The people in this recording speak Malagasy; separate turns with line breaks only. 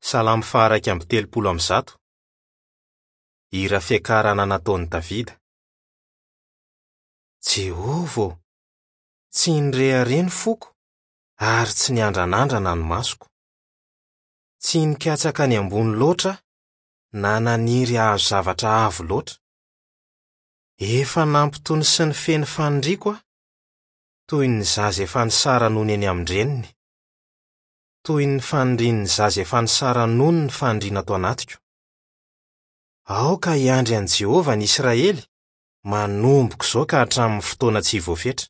Salamo faha-131. Hira fiakarana nataon'i Davida. Jehovah ô, tsy nirehareha ny foko ary tsy niandranandrana ny masoko. Tsy nikatsaka ny ambony loatra aho na naniry hahazo zavatra avo loatra. Efa nampitony sy nifehy ny faniriako aho, toy ny zaza efa nisara-nono eny amin-dreniny. Toy ny fanirian'ny zaza efa nisara-nono ny faniriana ato anatiko. Aoka hiandry an'i Jehovah ny Israely, manomboka izao ka hatramin'ny fotoana tsy voafetra.